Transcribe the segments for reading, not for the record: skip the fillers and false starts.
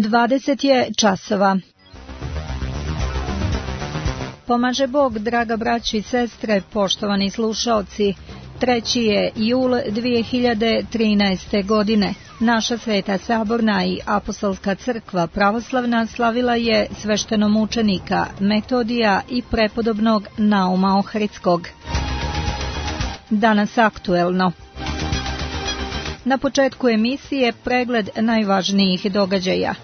20 je časova. Pomaže Bog, draga braćo i sestre, poštovani slušaoci. 3. je jul 2013. godine. Naša Sveta Saborna i Apostolska crkva pravoslavna slavila je sveštenomučenika Metodija i prepodobnog Nauma Ohridskog. Danas aktuelno. Na početku emisije pregled najvažnijih događaja.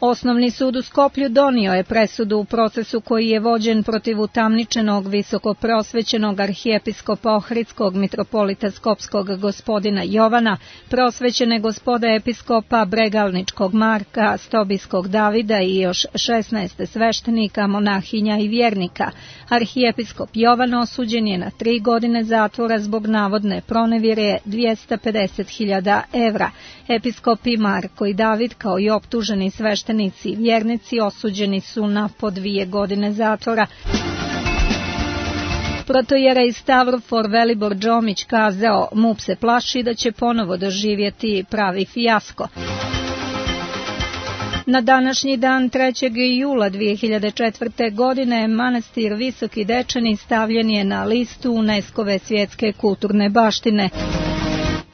Osnovni sud u Skoplju donio je presudu u procesu koji je vođen protiv utamničenog visokopreosvećenog arhijepiskopa Ohridskog mitropolita Skopskog gospodina Jovana, preosvećene gospoda episkopa Bregalničkog Marka, Stobijskog Davida i još 16 sveštenika, monahinja i vjernika. Arhijepiskop Jovan osuđen je na 3 godine zatvora zbog navodne pronevjere 250.000 evra. Episkopi Marko i David kao i optuženi sveštenici i vjernici osuđeni su na po 2 godine zatvora. Protojerej Stavrofor Velibor Džomić kazao, MUP se plaši da će ponovo doživjeti pravi fijasko. Na današnji dan 3. jula 2004. godine manastir Visoki Dečani stavljen je na listu UNESCO-ve svjetske kulturne baštine.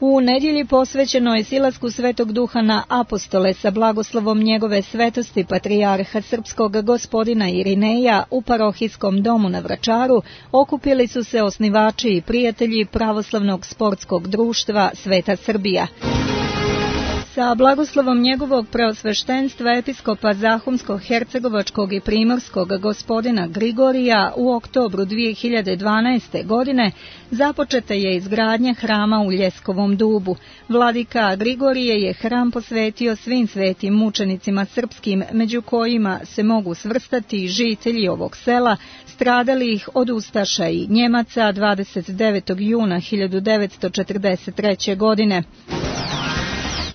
U nedjelji posvećenoj silasku Svetog Duha na apostole sa blagoslovom njegove svetosti patrijarha srpskog gospodina Irineja u parohijskom domu na Vračaru okupili su se osnivači i prijatelji pravoslavnog sportskog društva Sveta Srbija. Sa blagoslovom njegovog preosveštenstva episkopa Zahumsko-hercegovačkog i primorskog gospodina Grigorija u oktobru 2012. godine započeta je izgradnja hrama u Ljeskovom dubu. Vladika Grigorije je hram posvetio svim svetim mučenicima srpskim, među kojima se mogu svrstati žitelji ovog sela, stradalih od ustaša i Njemaca 29. juna 1943. godine.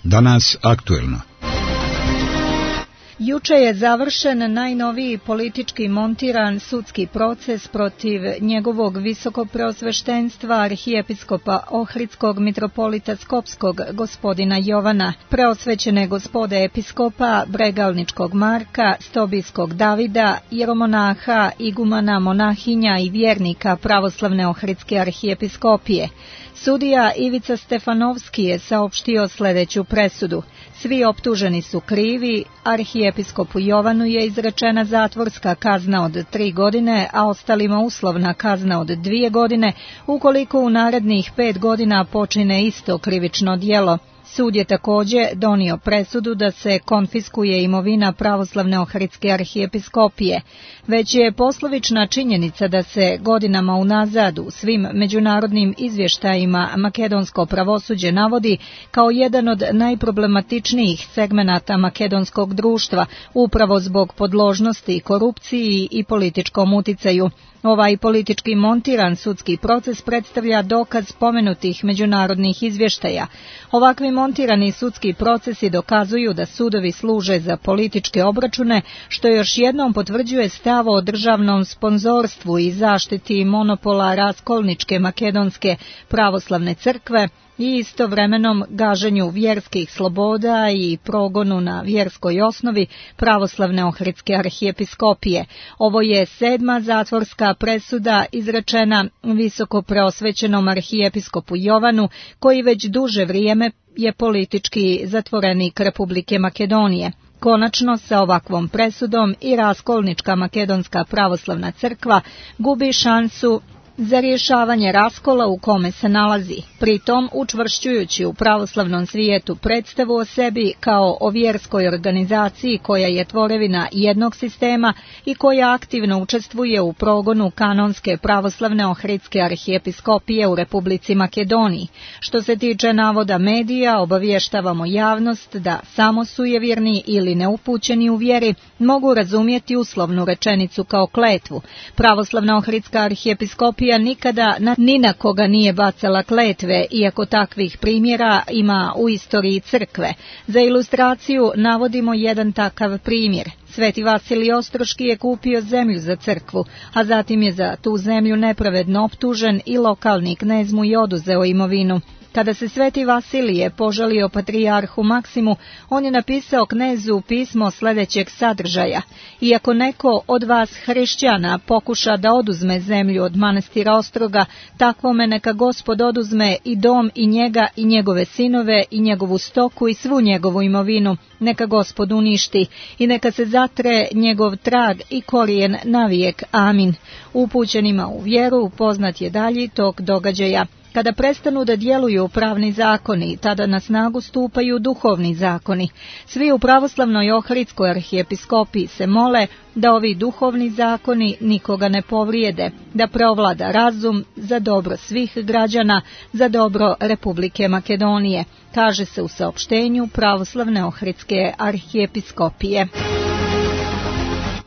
Danas aktuelno. Juče je završen najnoviji politički montiran sudski proces protiv njegovog visokopreosveštenstva arhijepiskopa Ohridskog mitropolita Skopskog gospodina Jovana, preosvećene gospode episkopa Bregalničkog Marka, Stobijskog Davida, jeromonaha, igumana, monahinja i vjernika pravoslavne Ohridske arhijepiskopije. Sudija Ivica Stefanovski je saopštio sljedeću presudu. Svi optuženi su krivi, arhijepiskopu Jovanu je izrečena zatvorska kazna od 3 godine, a ostalima uslovna kazna od 2 godine, ukoliko u narednih 5 godina počine isto krivično djelo. Sud je također donio presudu da se konfiskuje imovina pravoslavne Ohridske arhijepiskopije. Već je poslovična činjenica da se godinama unazad u svim međunarodnim izvještajima makedonsko pravosuđe navodi kao jedan od najproblematičnijih segmenata makedonskog društva, upravo zbog podložnosti korupciji i političkom uticaju. Ovaj politički montiran sudski proces predstavlja dokaz spomenutih međunarodnih izvještaja. Ovakvi montirani sudski procesi dokazuju da sudovi služe za političke obračune, što još jednom potvrđuje stav o državnom sponzorstvu i zaštiti monopola raskolničke makedonske pravoslavne crkve i istovremenom gaženju vjerskih sloboda i progonu na vjerskoj osnovi pravoslavne Ohridske arhijepiskopije. Ovo je 7. zatvorska presuda izrečena visoko preosvećenom arhijepiskopu Jovanu, koji već duže vrijeme je politički zatvorenik Republike Makedonije. Konačno, sa ovakvom presudom i raskolnička makedonska pravoslavna crkva gubi šansu za rješavanje raskola u kome se nalazi, pritom učvršćujući u pravoslavnom svijetu predstavu o sebi kao o vjerskoj organizaciji koja je tvorevina jednog sistema i koja aktivno učestvuje u progonu kanonske pravoslavne Ohridske arhijepiskopije u Republici Makedoniji. Što se tiče navoda medija, obavještavamo javnost da samo sujevjerni ili neupućeni u vjeri mogu razumjeti uslovnu rečenicu kao kletvu. Pravoslavna Ohridska arhijepiskopija nikada ni na koga nije bacala kletve, iako takvih primjera ima u istoriji crkve. Za ilustraciju navodimo jedan takav primjer. Sveti Vasilij Ostroški je kupio zemlju za crkvu, a zatim je za tu zemlju nepravedno optužen i lokalni knez mu je oduzeo imovinu. Kada se Sveti Vasilije požalio patrijarhu Maksimu, on je napisao knezu pismo sljedećeg sadržaja: iako neko od vas hrišćana pokuša da oduzme zemlju od manastira Ostroga, takvome neka Gospod oduzme i dom i njega i njegove sinove i njegovu stoku i svu njegovu imovinu, neka Gospod uništi i neka se zatre njegov trag i korijen navijek. Amin. Upućenima u vjeru poznat je dalji tok događaja. Kada prestanu da djeluju pravni zakoni, tada na snagu stupaju duhovni zakoni. Svi u pravoslavnoj Ohridskoj arhijepiskopiji se mole da ovi duhovni zakoni nikoga ne povrijede, da preovlada razum za dobro svih građana, za dobro Republike Makedonije, kaže se u saopštenju pravoslavne Ohridske arhijepiskopije.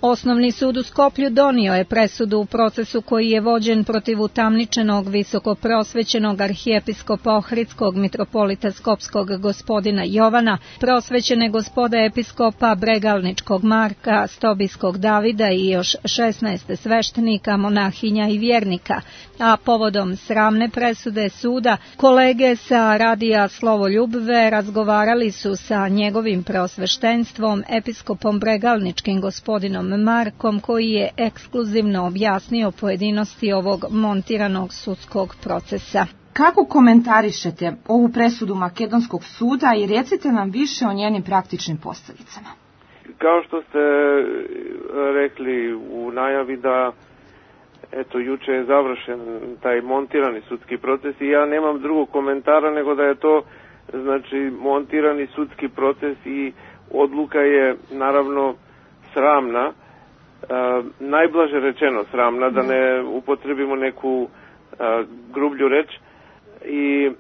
Osnovni sud u Skoplju donio je presudu u procesu koji je vođen protiv utamničenog visokoprosvećenog arhijepiskopa Ohridskog mitropolita Skopskog gospodina Jovana, prosvećene gospoda episkopa Bregalničkog Marka, Stobijskog Davida i još 16 sveštenika, monahinja i vjernika, a povodom sramne presude suda, kolege sa radija Slovoljubve razgovarali su sa njegovim preosveštenstvom, episkopom Bregalničkim gospodinom Markom, koji je ekskluzivno objasnio pojedinosti ovog montiranog sudskog procesa. Kako komentarišete ovu presudu Makedonskog suda i recite nam više o njenim praktičnim posljedicama? Kao što ste rekli u najavi da juče je završen taj montirani sudski proces i ja nemam drugog komentara nego da je to montirani sudski proces i odluka je naravno sramna, najblaže rečeno sramna, da ne upotrebimo neku grublju reč, i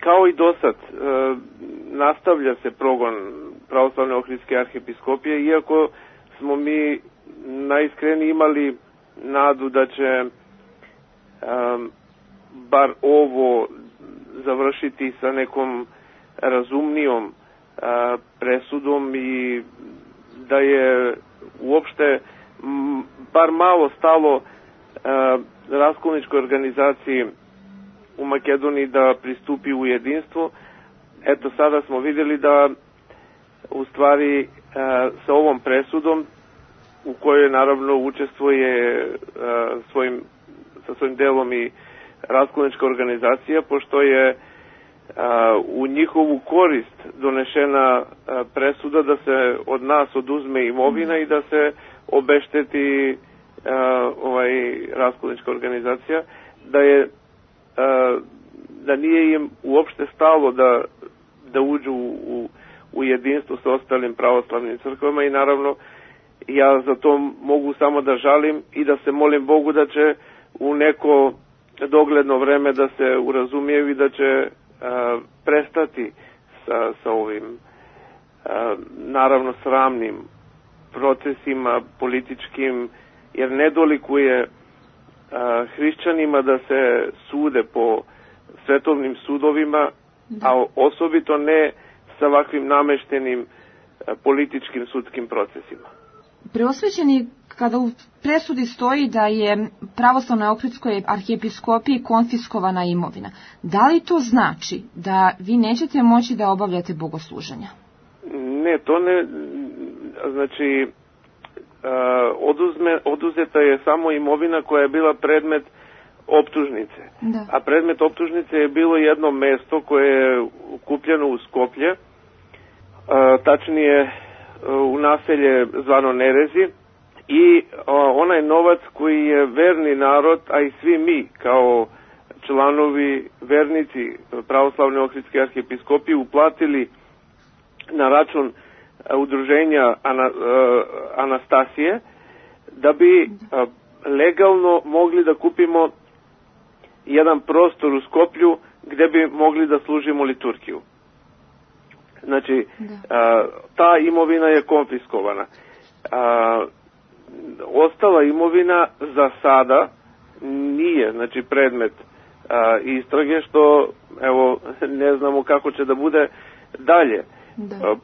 kao i dosad nastavlja se progon pravoslavne Ohridske arhijepiskopije, iako smo mi najiskreniji imali nadu da će bar ovo završiti sa nekom razumnijom presudom i da je uopšte bar malo stalo raskolničkoj organizaciji u Makedoniji da pristupi u jedinstvo. Eto, sada smo vidjeli da u stvari sa ovom presudom, u kojoj naravno učestvuje sa svojim delom i raskolnička organizacija, pošto je u njihovu korist donešena presuda da se od nas oduzme imovina i da se obešteti raskolnička organizacija, da nije im uopšte stalo da uđu u jedinstvo sa ostalim pravoslavnim crkvama, i naravno ja za to mogu samo da žalim i da se molim Bogu da će u neko dogledno vreme da se urazumiju i da će prestati sa ovim naravno sramnim procesima političkim, jer ne dolikuje hrišćanima da se sude po svetovnim sudovima, a osobito ne sa ovakvim nameštenim političkim sudskim procesima. Preosvećeni, kada u presudi stoji da je pravoslavnoj Ohridskoj arhijepiskopiji konfiskovana imovina, da li to znači da vi nećete moći da obavljate bogosluženja? Ne, to ne, znači oduzeta je samo imovina koja je bila predmet optužnice. Da. A predmet optužnice je bilo jedno mesto koje je kupljeno u Skoplje, tačnije u naselje zvano Nerezi, i onaj novac koji je verni narod, a i svi mi kao članovi vernici pravoslavne Ohridske arhijepiskopije uplatili na račun udruženja Anastasije, da bi legalno mogli da kupimo jedan prostor u Skoplju gde bi mogli da služimo liturgiju. Znači, ta imovina je konfiskovana. Ostala imovina za sada nije, znači, predmet istrage, što evo ne znamo kako će da bude dalje. Da.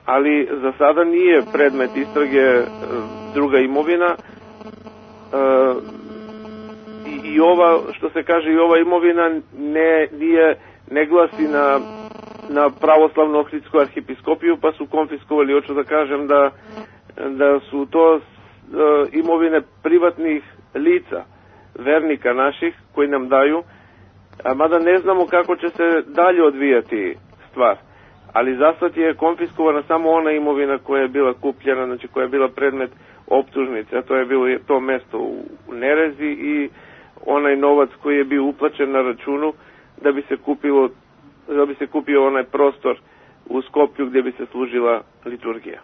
Ali za sada nije predmet istrage druga imovina, i ova, što se kaže, i ova imovina nije ne glasi na pravoslavnu Ohridsku arhijepiskopiju, pa su konfiskovali. Hoću da kažem da su to imovine privatnih lica, vernika naših, koji nam daju, mada ne znamo kako će se dalje odvijati stvar. Ali zasad je konfiskovana samo ona imovina koja je bila kupljena, znači koja je bila predmet optužnice, a to je bilo to mesto u Nerezi i onaj novac koji je bio uplaćen na računu da bi se kupio onaj prostor u Skoplju gdje bi se služila liturgija.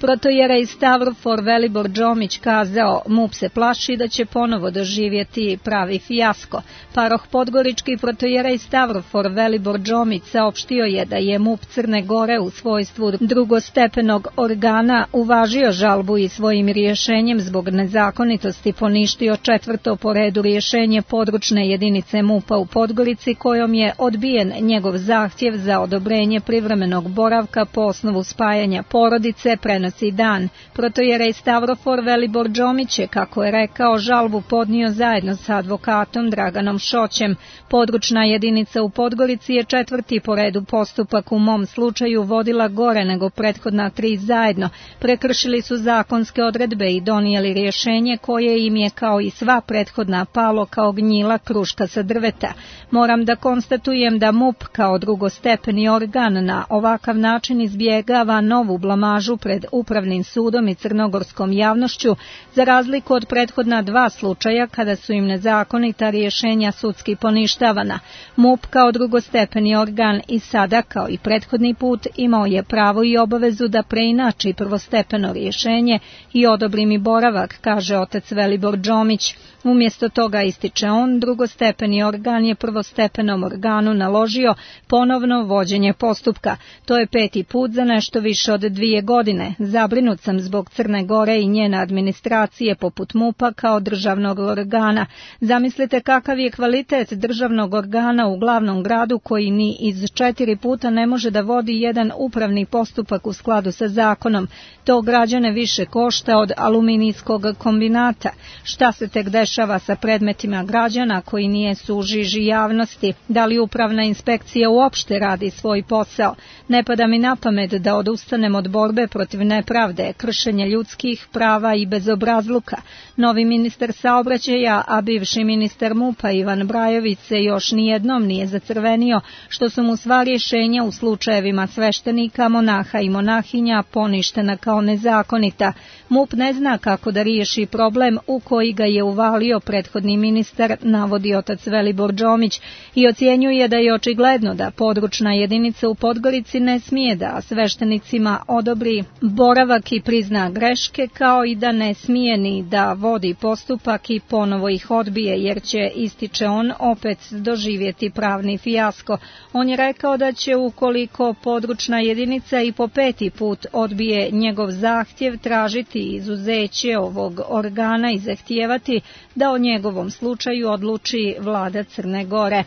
Protojerej Stavrofor Velibor Đomić kazao, MUP se plaši da će ponovo doživjeti pravi fijasko. Paroh Podgorički protojerej Stavrofor Velibor Đomić saopštio je da je MUP Crne Gore u svojstvu drugostepenog organa uvažio žalbu i svojim rješenjem zbog nezakonitosti poništio 4. po redu rješenje područne jedinice MUP-a u Podgorici kojom je odbijen njegov zahtjev za odobrenje privremenog boravka po osnovu spajanja porodice, prenosi dan. Protojerej Stavrofor Velibor Đomić je, kako je rekao, žalbu podnio zajedno sa advokatom Draganom Šoćem. Područna jedinica u Podgorici je 4. po redu postupak u mom slučaju vodila gore nego prethodna 3 zajedno. Prekršili su zakonske odredbe i donijeli rješenje koje im je kao i sva prethodna palo kao gnjila kruška sa drveta. Moram da konstatujem da MUP kao drugostepeni organ na ovakav način izbjegava novu blamažu pred Upravnim sudom i crnogorskom javnošću, za razliku od prethodna 2 slučaja kada su im nezakonita rješenja sudski poništavana. MUP kao drugostepeni organ i sada, kao i prethodni put, imao je pravo i obavezu da preinači prvostepeno rješenje i odobri mi boravak, kaže otac Velibor Đomić. Umjesto toga, ističe on, drugostepeni organ je prvostepenom organu naložio ponovno vođenje postupka. To je 5. put za nešto više od 2 godine. Zabrinut sam zbog Crne Gore i njene administracije poput MUP-a kao državnog organa. Zamislite kakav je kvalitet državnog organa u glavnom gradu koji ni iz 4 puta ne može da vodi jedan upravni postupak u skladu sa zakonom. To građane više košta od aluminijskog kombinata. Šta se tek dešava sa predmetima građana koji nijesu u žiži javnosti? Da li upravna inspekcija uopšte radi svoj posao? Ne pada mi na pamet da odustanem od borbe protiv nepravde, kršenja ljudskih prava i bezobrazluka. Novi ministar saobraćaja, a bivši ministar MUP-a Ivan Brajović se još nijednom nije zacrvenio što su mu sva rješenja u slučajevima sveštenika, monaha i monahinja poništena kao nezakonita. MUP ne zna kako da riješi problem u koji ga je uvalio prethodni ministar, navodi otac Velibor Đomić, i ocjenjuje da je očigledno da područna jedinica u Podgorici ne smije da sveštenicima odobri boravak i prizna greške, kao i da ne smije ni da vodi postupak i ponovo ih odbije, jer će, ističe on, opet doživjeti pravni fijasko. On je rekao da će, ukoliko područna jedinica i po 5. put odbije njegov zahtjev, tražiti izuzeće ovog organa i zahtijevati da o njegovom slučaju odluči vlada Crne Gore.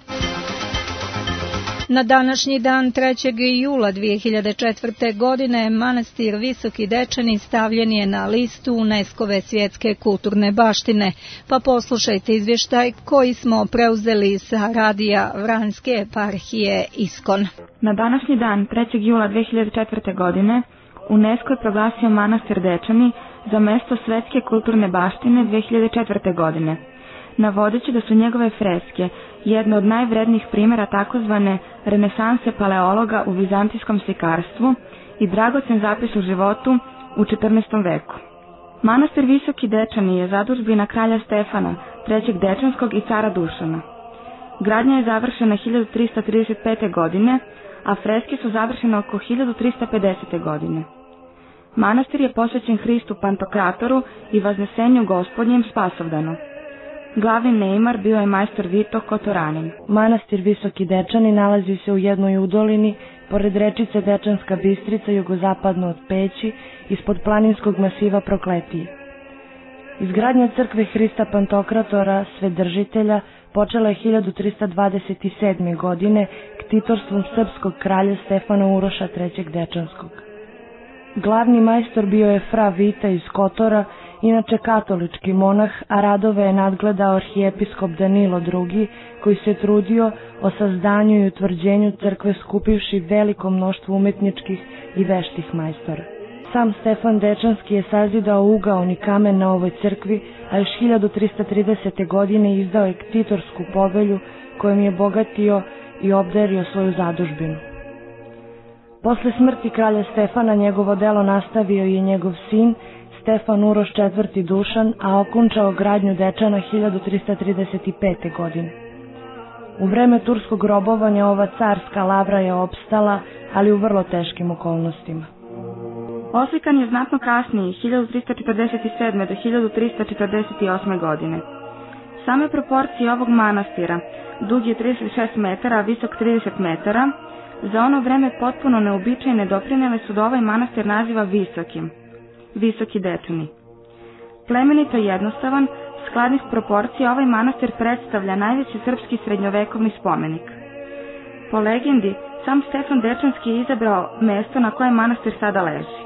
Na današnji dan 3. jula 2004. godine manastir Visoki Dečani stavljen je na listu UNESCO-ve svjetske kulturne baštine. Pa poslušajte izvještaj koji smo preuzeli sa radija Vranjske eparhije Iskon. Na današnji dan 3. jula 2004. godine UNESCO je proglasio manastir Dečani za mjesto svjetske kulturne baštine 2004. godine, navodeći da su njegove freske jedno od najvrednijih primjera takozvane renesanse paleologa u vizantijskom slikarstvu i dragocen zapis u životu u 14. veku. Manastir Visoki Dečani je zadužbina kralja Stefana, trećeg Dečanskog i cara Dušana. Gradnja je završena 1335. godine, a freske su završene oko 1350. godine. Manastir je posvećen Hristu Pantokratoru i Vaznesenju Gospodnjem Spasovdanu. Glavni neimar bio je majstor Vito Kotoranin. Manastir Visoki Dečani nalazi se u jednoj udolini, pored rečice Dečanska Bistrica, jugozapadno od Peći, ispod planinskog masiva Prokletije. Izgradnja crkve Hrista Pantokratora, Svedržitelja, počela je 1327. godine ktitorstvom srpskog kralja Stefana Uroša III. Dečanskog. Glavni majstor bio je fra Vita iz Kotora inače katolički monah, a radove je nadgledao arhijepiskop Danilo II, koji se trudio o sazdanju i utvrđenju crkve skupivši veliko mnoštvo umetničkih i veštih majstora. Sam Stefan Dečanski je sazidao ugaoni kamen na ovoj crkvi, a još 1330. godine izdao je ktitorsku povelju kojom je bogatio i obdario svoju zadužbinu. Posle smrti kralja Stefana njegovo delo nastavio je njegov sin Stefan Uroš IV. Dušan, a okončao gradnju Dečana 1335. godine. U vreme turskog robovanja ova carska lavra je opstala, ali u vrlo teškim okolnostima. Oslikan je znatno kasnije, 1347. do 1348. godine. Same proporcije ovog manastira, dug je 36 metara, a visok 30 metara, za ono vreme potpuno neobičajne doprinele su da ovaj manastir naziva Visokim, Visoki Dečani. Plemenito jednostavan, skladnih proporcija, ovaj manastir predstavlja najveći srpski srednjovekovni spomenik. Po legendi, sam Stefan Dečanski je izabrao mesto na kojem manastir sada leži.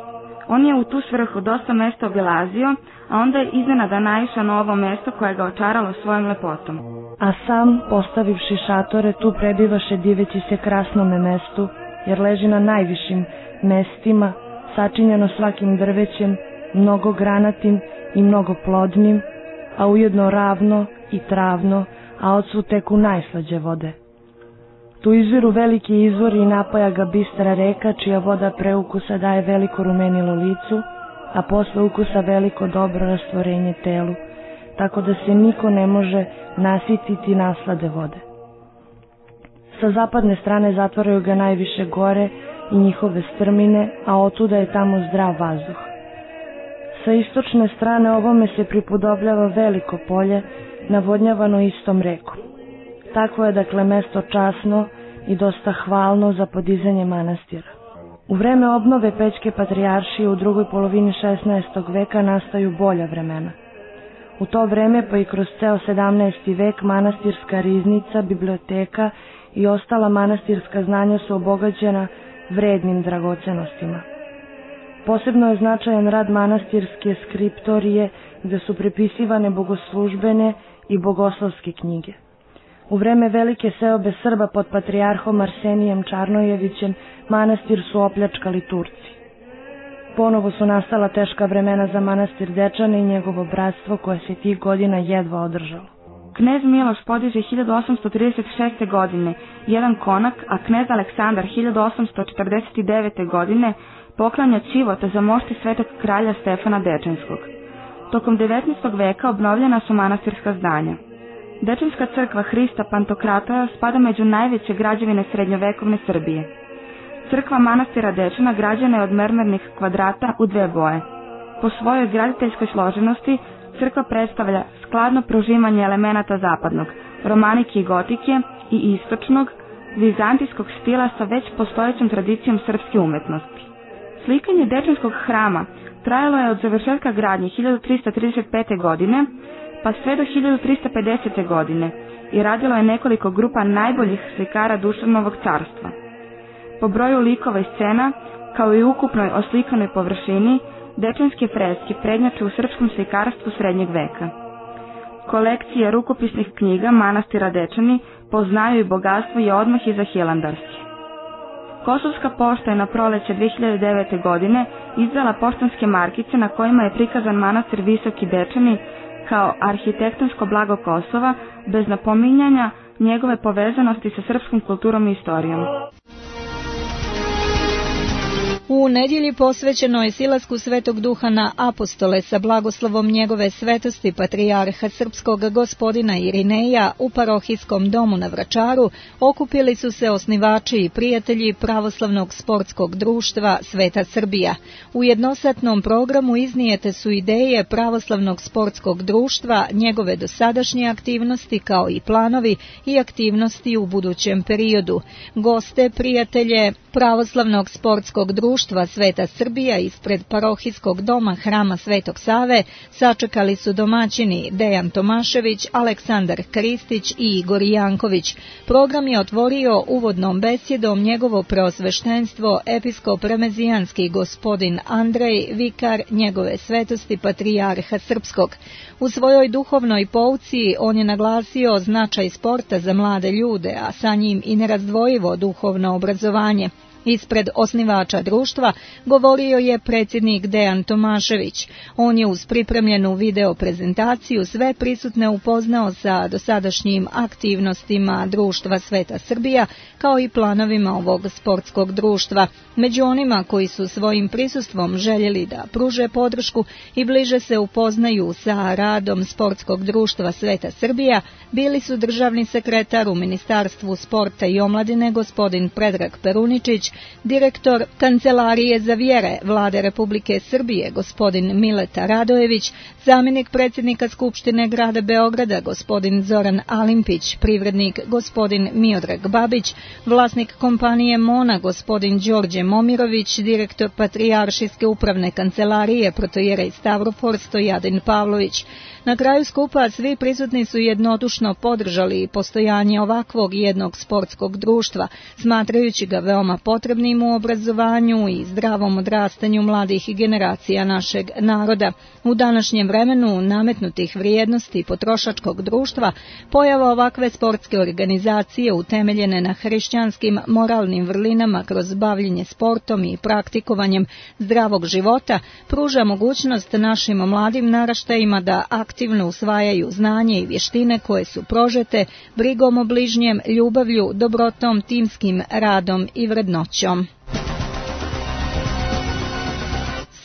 On je u tu svrhu dosta mesta obilazio, a onda je iznenada naišao na ovo mesto koje ga očaralo svojom lepotom. A sam, postavivši šatore, tu prebivaše diveći se krasnome mestu, jer leži na najvišim mestima, sačinjeno svakim drvećem, mnogo granatim i mnogo plodnim, a ujedno ravno i travno, a odsvu teku najslađe vode. Tu izviru veliki izvori i napaja ga bistra reka, čija voda pre ukusa daje veliko rumenilo licu, a posle ukusa veliko dobro rastvorenje telu, tako da se niko ne može nasititi naslade vode. Sa zapadne strane zatvaraju ga najviše gore i njihove strmine, a otuda je tamo zdrav vazduh. Sa istočne strane ovome se pripodobljava veliko polje, navodnjavano istom rekom. Takvo je dakle mesto časno i dosta hvalno za podizanje manastira. U vreme obnove Pećke patrijaršije u drugoj polovini 16. veka nastaju bolja vremena. U to vreme pa i kroz ceo 17. vek manastirska riznica, biblioteka i ostala manastirska znanja su obogaćena vrednim dragocenostima. Posebno je značajan rad manastirske skriptorije, gde su prepisivane bogoslužbene i bogoslovske knjige. U vreme velike seobe Srba pod patrijarhom Arsenijem Čarnojevićem manastir su opljačkali Turci. Ponovo su nastala teška vremena za manastir Dečane i njegovo bratstvo koje se tih godina jedva održalo. Knez Miloš podiže 1836. godine jedan konak, a knez Aleksandar 1849. godine poklanja ćivota za mošti svetog kralja Stefana Dečanskog. Tokom 19. veka obnovljena su manastirska zdanja. Dečanska crkva Hrista Pantokratora spada među najveće građevine srednjovekovne Srbije. Crkva manastira Dečana građena je od mermernih kvadrata u dve boje. Po svojoj graditeljskoj složenosti crkva predstavlja skladno prožimanje elemenata zapadnog, romanike i gotike i istočnog, vizantijskog stila sa već postojećom tradicijom srpske umetnosti. Slikanje Dečanskog hrama trajalo je od završetka gradnje 1335. godine pa sve do 1350. godine i radilo je nekoliko grupa najboljih slikara Dušanovog carstva. Po broju likova i scena, kao i ukupnoj oslikanoj površini, dečanske freske prednjače u srpskom slikarstvu srednjeg veka. Kolekcija rukopisnih knjiga manastira Dečani poznaju i bogatstvo i odmah iza Hilandarske. Kosovska pošta je na proleće 2009. godine izdala poštanske markice na kojima je prikazan manastir Visoki Dečani kao arhitektonsko blago Kosova, bez napominjanja njegove povezanosti sa srpskom kulturom i istorijom. U nedjelji posvećenoj silasku Svetog Duha na apostole sa blagoslovom njegove svetosti patrijarha srpskog gospodina Irineja u parohijskom domu na Vračaru okupili su se osnivači i prijatelji Pravoslavnog sportskog društva Sveta Srbija. U jednosatnom programu iznijete su ideje Pravoslavnog sportskog društva, njegove dosadašnje aktivnosti kao i planovi i aktivnosti u budućem periodu. Goste, prijatelje Pravoslavnog sportskog društva društva Sveta Srbija ispred parohijskog doma Hrama Svetog Save sačekali su domaćini Dejan Tomašević, Aleksandar Kristić i Igor Janković. Program je otvorio uvodnom besjedom njegovo preosveštenstvo episkop remezijanski gospodin Andrej, vikar njegove svetosti patrijarha srpskog. U svojoj duhovnoj pouci on je naglasio značaj sporta za mlade ljude, a sa njim i nerazdvojivo duhovno obrazovanje. Ispred osnivača društva govorio je predsjednik Dejan Tomašević. On je uz pripremljenu video prezentaciju sve prisutne upoznao sa dosadašnjim aktivnostima društva Sveta Srbija, kao i planovima ovog sportskog društva. Među onima koji su svojim prisustvom željeli da pruže podršku i bliže se upoznaju sa radom sportskog društva Sveta Srbija, bili su državni sekretar u Ministarstvu sporta i omladine gospodin Predrag Peruničić, direktor Kancelarije za vjere Vlade Republike Srbije gospodin Mileta Radojević, zamjenik predsjednika Skupštine grada Beograda gospodin Zoran Alimpić, privrednik gospodin Miodrag Babić, vlasnik kompanije Mona gospodin Đorđe Momirović, direktor Patrijaršijske upravne kancelarije protojerej Stavrofor Stojadin Pavlović. Na kraju skupa svi prisutni su jednodušno podržali postojanje ovakvog jednog sportskog društva, smatrajući ga veoma potrebnim u obrazovanju i zdravom odrastanju mladih generacija našeg naroda. U današnjem vremenu nametnutih vrijednosti potrošačkog društva, pojava ovakve sportske organizacije utemeljene na hrišćanskim moralnim vrlinama kroz bavljenje sportom i praktikovanjem zdravog života pruža mogućnost našim mladim naraštajima da aktivno usvajaju znanje i vještine koje su prožete brigom o bližnjem, ljubavlju, dobrotom, timskim radom i vrednoćom.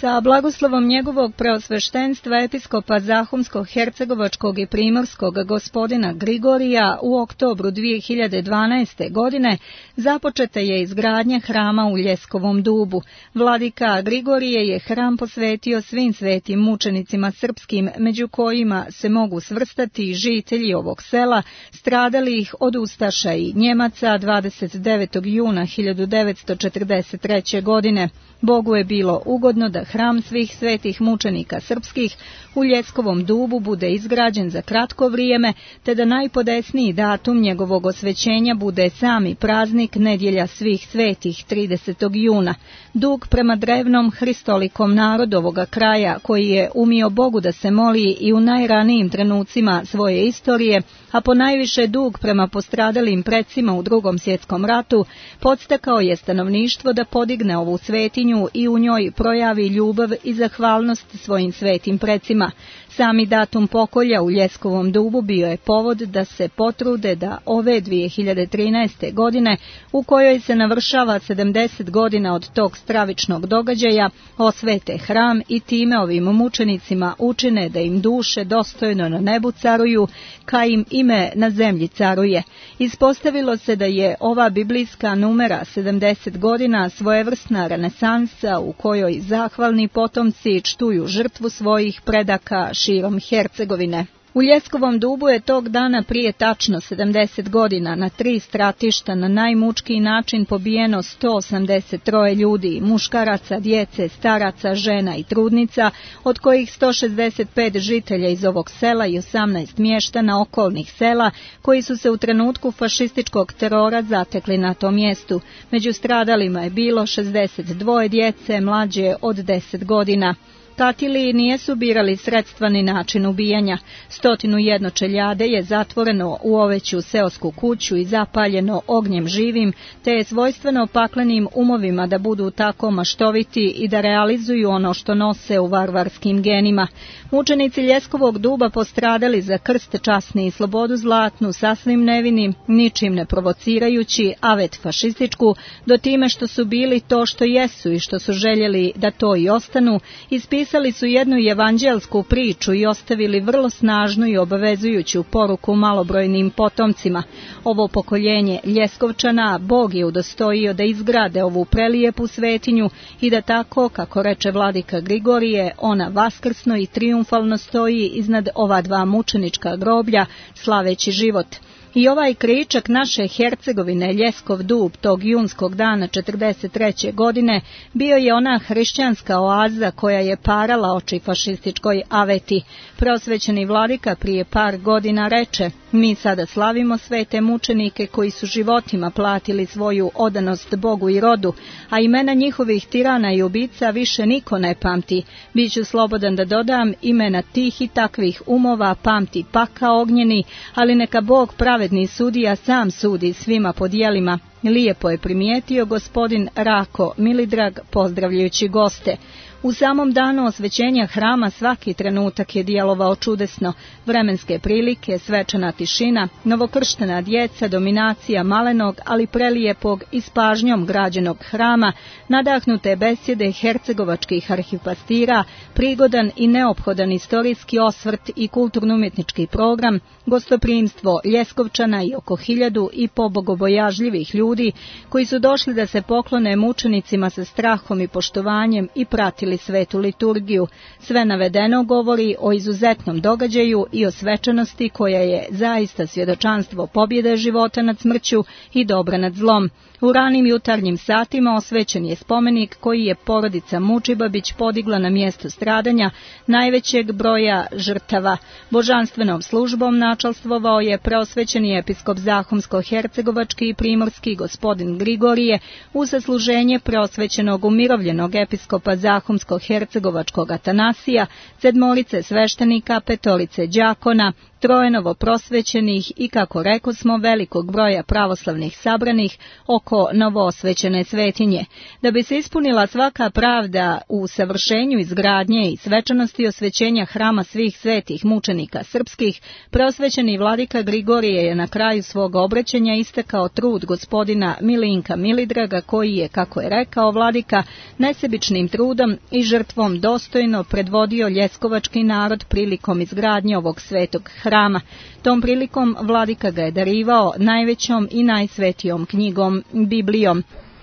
Sa blagoslovom njegovog preosveštenstva episkopa Zahumsko-hercegovačkog i primorskog gospodina Grigorija u oktobru 2012. godine započeta je izgradnja hrama u Ljeskovom dubu. Vladika Grigorije je hram posvetio svim svetim mučenicima srpskim, među kojima se mogu svrstati žitelji ovog sela, stradalih od ustaša i Njemaca 29. juna 1943. godine. Bogu je bilo ugodno da hram svih svetih mučenika srpskih u Ljeskovom dubu bude izgrađen za kratko vrijeme, te da najpodesniji datum njegovog osvećenja bude sami praznik Nedjelja svih svetih 30. juna. Dug prema drevnom hristolikom narodu ovoga kraja, koji je umio Bogu da se moli i u najranijim trenucima svoje istorije, a ponajviše dug prema postradalim precima u Drugom svjetskom ratu, podstakao je stanovništvo da podigne ovu svetinju i u njoj projavi ljubav i zahvalnost svojim svetim precima. Sami datum pokolja u Ljeskovom dubu bio je povod da se potrude da ove 2013. godine, u kojoj se navršava 70 godina od tog stravičnog događaja, osvete hram i time ovim mučenicima učine da im duše dostojno na nebu caruju, ka im ime na zemlji caruje. Ispostavilo se da je ova biblijska numera 70 godina svojevrsna renesansa u kojoj zahvalni potomci čtuju žrtvu svojih predaka širom Hercegovine. U Ljeskovom dubu je tog dana prije tačno 70 godina na 3 stratišta na najmučkiji način pobijeno 183 ljudi, muškaraca, djece, staraca, žena i trudnica, od kojih 165 žitelja iz ovog sela i 18 mještana okolnih sela, koji su se u trenutku fašističkog terora zatekli na tom mjestu. Među stradalima je bilo 62 djece mlađe od 10 godina. Katili nijesu birali sredstva ni način ubijanja. 101 čeljade je zatvoreno u oveću seosku kuću i zapaljeno ognjem živim, te je svojstveno paklenim umovima da budu tako maštoviti i da realizuju ono što nose u varvarskim genima. Mučenici Ljeskovog duba postradali za krst časni i slobodu zlatnu, sasvim nevini, ničim ne provocirajući, avet fašističku, do time što su bili to što jesu i što su željeli da to i ostanu, ispisali su jednu evanđelsku priču i ostavili vrlo snažnu i obavezujuću poruku malobrojnim potomcima. Ovo pokoljenje Ljeskovčana Bog je udostojio da izgrade ovu prelijepu svetinju i da tako, kako reče vladika Grigorije, ona vaskrsno i triumfalno stoji iznad ova dva mučenička groblja, slaveći život. I ovaj kričak naše Hercegovine, Ljeskov dub, tog junskog dana 43. godine, bio je ona hrišćanska oaza koja je parala oči fašističkoj aveti. Prosvećeni vladika prije par godina reče: mi sada slavimo svete mučenike koji su životima platili svoju odanost Bogu i rodu, a imena njihovih tirana i ubica više niko ne pamti. Biću slobodan da dodam, imena tih i takvih umova pamti pakao ognjeni, ali neka Bog pravedni sudija sam sudi svima po djelima. Lijepo je primijetio gospodin Rako Milidrag pozdravljajući goste. U samom danu osvećenja hrama svaki trenutak je djelovao čudesno. Vremenske prilike, svečana tišina, novokrštena djeca, dominacija malenog, ali prelijepog i s pažnjom građenog hrama, nadahnute besjede hercegovačkih arhipastira, prigodan i neophodan istorijski osvrt i kulturno-umjetnički program, gostoprimstvo Ljeskovčana i oko 1000 i pobogobojažljivih ljudi koji su došli da se poklone mučenicima sa strahom i poštovanjem i pratili svetu liturgiju. Sve navedeno govori o izuzetnom događaju i o svečanosti koja je zaista svjedočanstvo pobjede života nad smrću i dobra nad zlom. U ranim jutarnjim satima osvećen je spomenik koji je porodica Mučibabić podigla na mjesto stradanja najvećeg broja žrtava. Božanstvenom službom načalstvovao je preosvećeni episkop Zahumsko-hercegovački i primorski gospodin Grigorije uz sasluženje preosvećenog umirovljenog episkopa Zahumsko-hercegovačkog Atanasija, 7 sveštenika, 5 đakona, 3 novoprosvećenih i, kako rekosmo, velikog broja pravoslavnih sabranih oko novoosvećene svetinje. Da bi se ispunila svaka pravda u savršenju izgradnje i svečanosti osvećenja hrama svih svetih mučenika srpskih, preosvećeni vladika Grigorije je na kraju svog obraćanja istakao trud gospodina Milinka Milidraga koji je, kako je rekao vladika, nesebičnim trudom i žrtvom dostojno predvodio ljeskovački narod prilikom izgradnje ovog svetog hrama. Tom prilikom vladika ga je darivao najvećom i najsvetijom knjigom, Biblijom.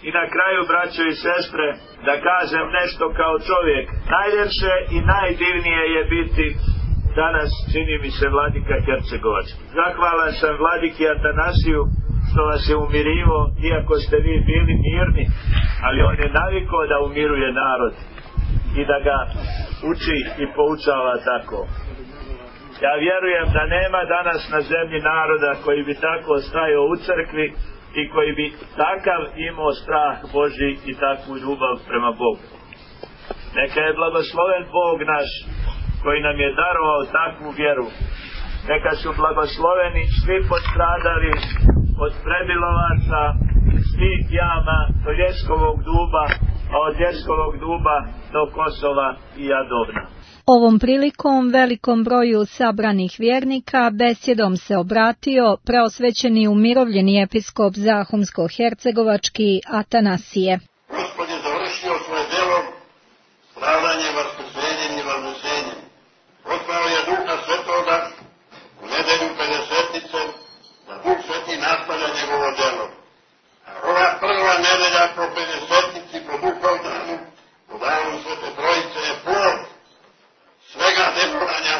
I na kraju, braćo i sestre, da kažem nešto kao čovjek. Najljepše i najdivnije je biti danas, čini mi se, vladika Hercegovački. Zahvalan sam vladiki Atanasiju što vas je umirivo, iako ste vi bili mirni, ali on je navikao da umiruje narod i da ga uči i poučava tako. Ja vjerujem da nema danas na zemlji naroda koji bi tako stajao u crkvi i koji bi takav imao strah Božji i takvu ljubav prema Bogu. Neka je blagosloven Bog naš koji nam je darovao takvu vjeru. Neka su blagosloveni svi postradali od Prebilovaca, svih jama do Ljeskovog duba, a od Ljeskovog duba do Kosova i Jadovna. Ovom prilikom velikom broju sabranih vjernika besjedom se obratio preosvećeni umirovljeni episkop Zahumsko-hercegovački Atanasije. Gospod je završio svoje djelo stradanjem, vaskrsenjem i vaznesenjem. Poslao je Duha Svetoga u nedelju Pedesetnice da Duh Sveti nastavlja njegovo djelo. A ova prva nedelja po Pedesetnici, po Duhovdanu, po danu Svete Trojice je plod svega delovanja.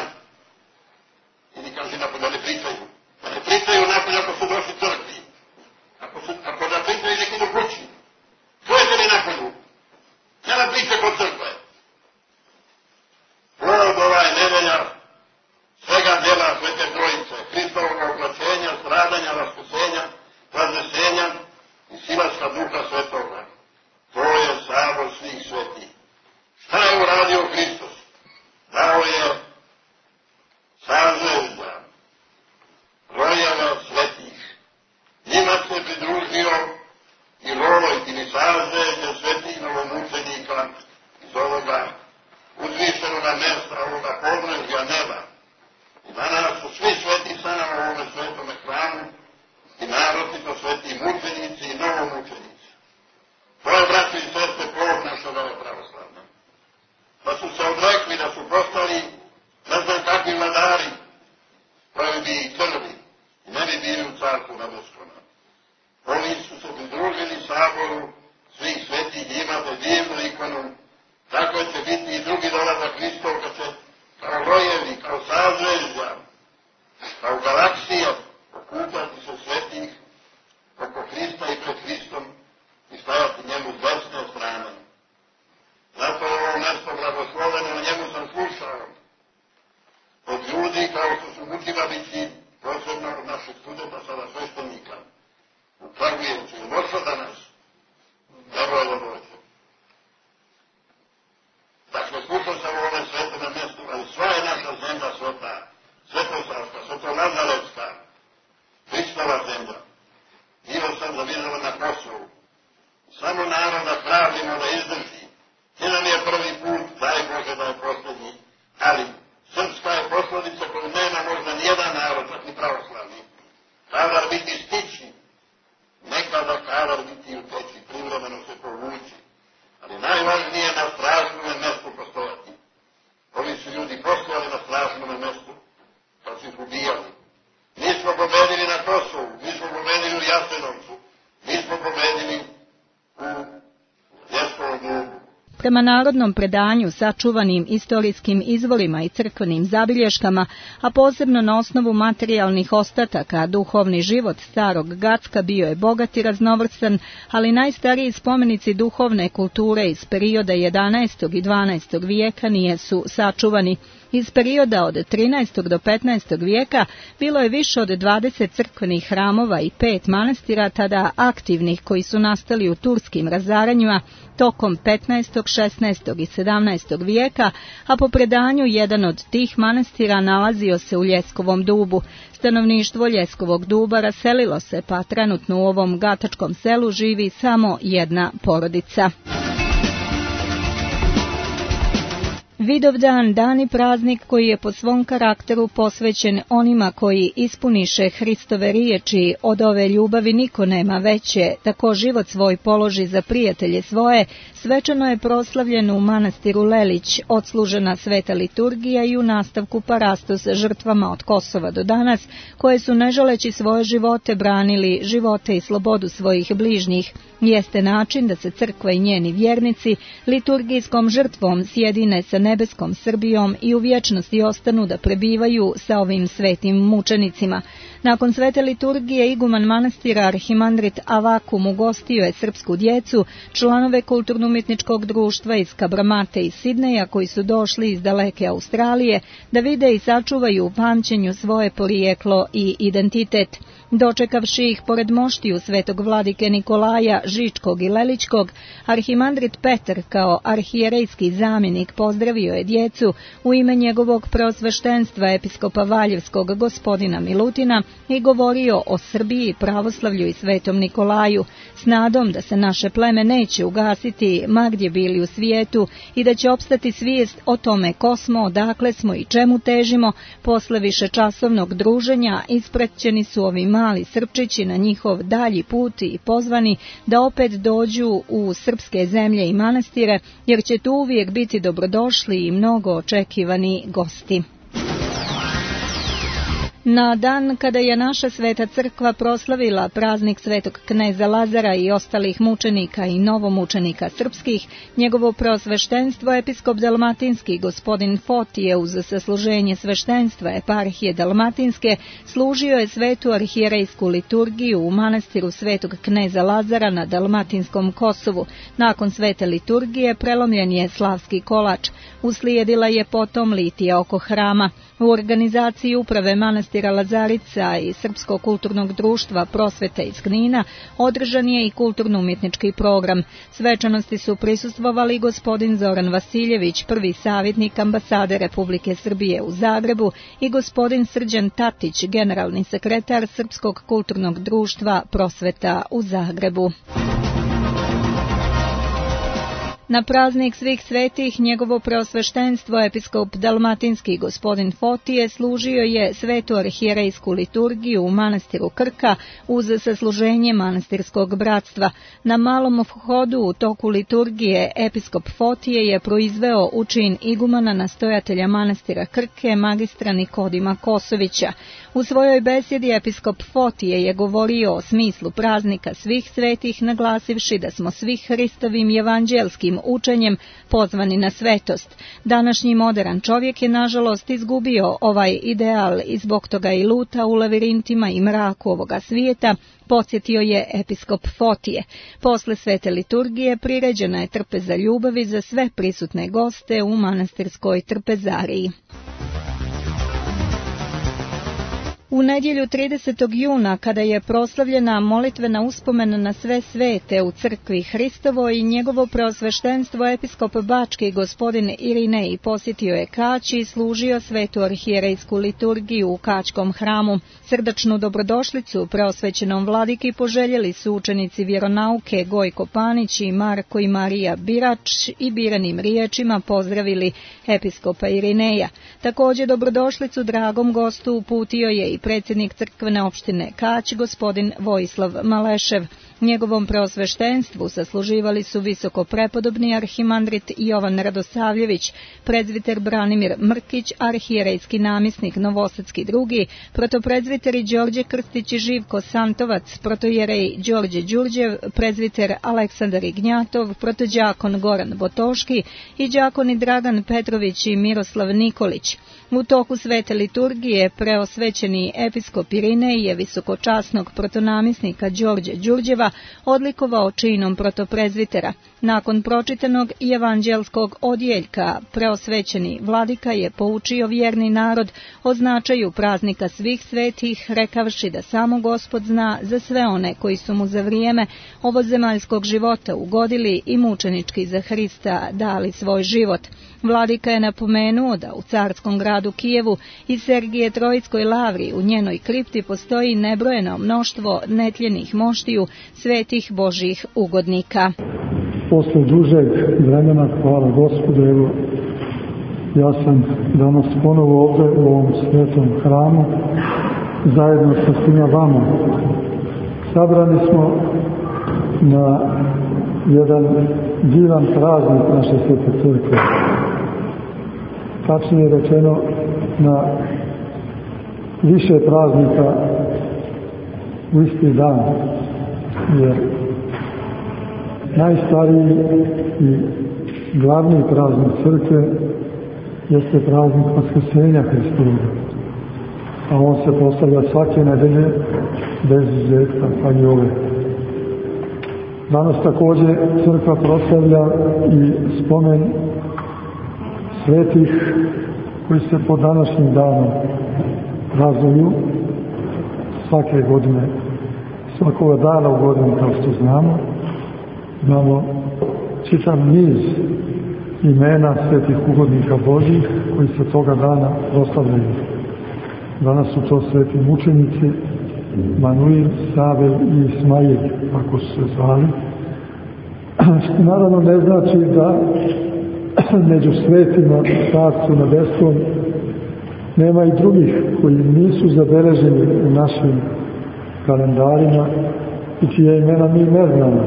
I ni kaže napolje, ne pričaju. Da ne pričaju napolje ako su došli crkvi. Ako da pričaju neki do kući. Čujete li napolju? Nema priče kod crkve. Plod ova je nedelja svega djela Svete Trojice, Hristovog oblačenja, stradanja, vaskrsenja, vaznesenja i silaska Duha Svetoga. Prema narodnom predanju sačuvanim istorijskim izvorima i crkvenim zabilješkama, a posebno na osnovu materijalnih ostataka, duhovni život starog Gacka bio je bogat i raznovrstan, ali najstariji spomenici duhovne kulture iz perioda 11. i 12. vijeka nijesu sačuvani. Iz perioda od 13. do 15. vijeka bilo je više od 20 crkvenih hramova i 5 manastira tada aktivnih koji su nastali u turskim razaranjima tokom 15., 16. i 17. vijeka, a po predanju jedan od tih manastira nalazio se u Ljeskovom dubu. Stanovništvo Ljeskovog duba raselilo se, pa trenutno u ovom gatačkom selu živi samo jedna porodica. Vidovdan, dan i praznik koji je po svom karakteru posvećen onima koji ispuniše Hristove riječi, od ove ljubavi niko nema veće, tako život svoj položi za prijatelje svoje, svečano je proslavljen u manastiru Lelić, odslužena sveta liturgija i u nastavku parastos žrtvama od Kosova do danas, koje su ne želeći svoje živote branili živote i slobodu svojih bližnjih. Jeste način da se crkva i njeni vjernici liturgijskom žrtvom sjedine sa nebeskom Srbijom i u vječnosti ostanu da prebivaju sa ovim svetim mučenicima. Nakon svete liturgije iguman manastira arhimandrit Avakum ugostio je srpsku djecu, članove kulturno-umjetničkog društva iz Kabramate i Sidneja koji su došli iz daleke Australije da vide i sačuvaju u pamćenju svoje porijeklo i identitet. Dočekavši ih pored moštiju svetog vladike Nikolaja Žičkog i Leličkog, arhimandrit Petar kao arhijerejski zamjenik pozdravio je djecu u ime njegovog preosveštenstva episkopa Valjevskog gospodina Milutina i govorio o Srbiji, pravoslavlju i svetom Nikolaju, s nadom da se naše pleme neće ugasiti ma gdje bili u svijetu i da će opstati svijest o tome ko smo, odakle smo i čemu težimo. Posle višečasovnog druženja ispraćeni su ovi mali Srpčići na njihov dalji put i pozvani da opet dođu u srpske zemlje i manastire, jer će tu uvijek biti dobrodošli i mnogo očekivani gosti. Na dan kada je naša sveta crkva proslavila praznik svetog kneza Lazara i ostalih mučenika i novomučenika srpskih, njegovo preosveštenstvo episkop dalmatinski gospodin Fotije uz sasluženje sveštenstva eparhije dalmatinske služio je svetu arhijerejsku liturgiju u manastiru svetog kneza Lazara na dalmatinskom Kosovu. Nakon svete liturgije prelomljen je slavski kolač. Uslijedila je potom litija oko hrama. U organizaciji uprave manastira Lazarica i Srpskog kulturnog društva Prosvete iz Knina održan je i kulturno-umjetnički program. Svečanosti su prisustvovali gospodin Zoran Vasiljević, prvi savjetnik ambasade Republike Srbije u Zagrebu, i gospodin Srđan Tatić, generalni sekretar Srpskog kulturnog društva Prosveta u Zagrebu. Na praznik svih svetih njegovo preosveštenstvo episkop dalmatinski gospodin Fotije služio je svetu arhijerejsku liturgiju u manastiru Krka uz sasluženje manastirskog bratstva. Na malom vhodu u toku liturgije episkop Fotije je proizveo u čin igumana nastojatelja manastira Krke magistra Nikodima Kosovića. U svojoj besjedi episkop Fotije je govorio o smislu praznika svih svetih, naglasivši da smo svi Hristovim evanđelskim učenjem pozvani na svetost. Današnji modern čovjek je nažalost izgubio ovaj ideal i zbog toga i luta u lavirintima i mraku ovoga svijeta, podsjetio je episkop Fotije. Posle svete liturgije priređena je trpeza ljubavi za sve prisutne goste u manastirskoj trpezariji. U nedjelju 30. juna, kada je proslavljena molitvena uspomena na sve svete u crkvi Hristovoj i njegovo preosveštenstvo episkop Bački gospodin Irinej posjetio je Kać i služio svetu arhijerejsku liturgiju u Kaćkom hramu. Srdačnu dobrodošlicu preosvećenom vladiki poželjeli su učenici vjeronauke Gojko Panić i Marko i Marija Birač i biranim riječima pozdravili episkopa Irineja. Također dobrodošlicu dragom gostu uputio je i predsjednik crkvene opštine Kać, gospodin Vojislav Malešev. Njegovom preosveštenstvu sasluživali su visoko prepodobni arhimandrit Jovan Radosavljević, prezviter Branimir Mrkić, arhijerejski namjesnik Novosadski II, protoprezviteri Đorđe Krstić i Živko Santovac, protojerej Đorđe Đurđev, prezviter Aleksandar Ignjatov, protođakon Goran Botoški i đakoni Dragan Petrović i Miroslav Nikolić. U toku svete liturgije preosvećeni episkop Irinej je visokočasnog protonamjesnika Đorđe Đurđeva odlikovao činom protoprezvitera. Nakon pročitanog evanđelskog odjeljka, preosvećeni vladika je poučio vjerni narod o značaju praznika svih svetih, rekavši da samo Gospod zna za sve one koji su mu za vrijeme ovozemaljskog života ugodili i mučenički za Hrista dali svoj život. Vladika je napomenuo da u carskom gradu Kijevu i Sergije Trojskoj lavri u njenoj kripti postoji nebrojeno mnoštvo netljenih moštiju svetih Božjih ugodnika. Posle dužeg vremena, hvala Gospodu, evo, ja sam danas ponovo ovdje u ovom svetom hramu, zajedno sa svima vama. Sabrani smo na jedan divan praznik naše svete crkve. Tačnije rečeno, na više praznika u isti dan, jer najstariji i glavni praznik crkve jeste praznik Vaskrsenja Hristovoga, a on se postavlja svake nedelje bez izuzetka, pa i ove. Danas također crkva proslavlja i spomen svetih koji se po današnjim danom praznuju svake godine, svakoga dana u godinu, kao što znamo. Imamo čitav niz imena svetih ugodnika Božjih koji se toga dana proslavljaju. Danas su to sveti mučenici Manuil, Savel i Ismail, ako su se zvali. Što naravno ne znači da među svetima Carstvu nebeskom nema i drugih koji nisu zabeleženi u našim kalendarima i čije imena mi ne znamo.